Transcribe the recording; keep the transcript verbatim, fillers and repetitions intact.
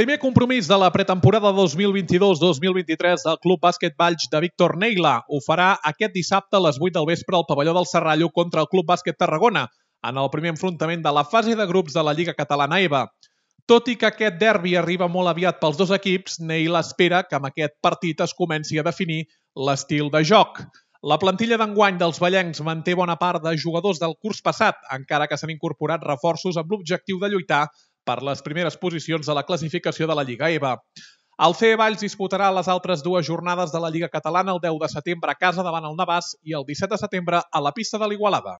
Primer compromís de la pretemporada dos mil vint-i-dos dos mil vint-i-tres del Club Bàsquet Valls de Víctor Neila ho farà aquest dissabte a les vuit del vespre al pavelló del Serrallo contra el Club Bàsquet Tarragona, en el primer enfrontament de la fase de grups de la Lliga Catalana E V A. Tot i que aquest derbi arriba molt aviat pels dos equips, Neila espera que amb aquest partit es comenci a definir l'estil de joc. La plantilla d'enguany dels vallencs manté bona part de jugadors del curs passat, encara que s'han incorporat reforços amb l'objectiu de lluitar per les primeres posicions de la classificació de la Lliga E V A. El C E Valls disputarà les altres dues jornades de la Lliga Catalana el deu de setembre a casa davant el Navàs i el disset de setembre a la pista de l'Igualada.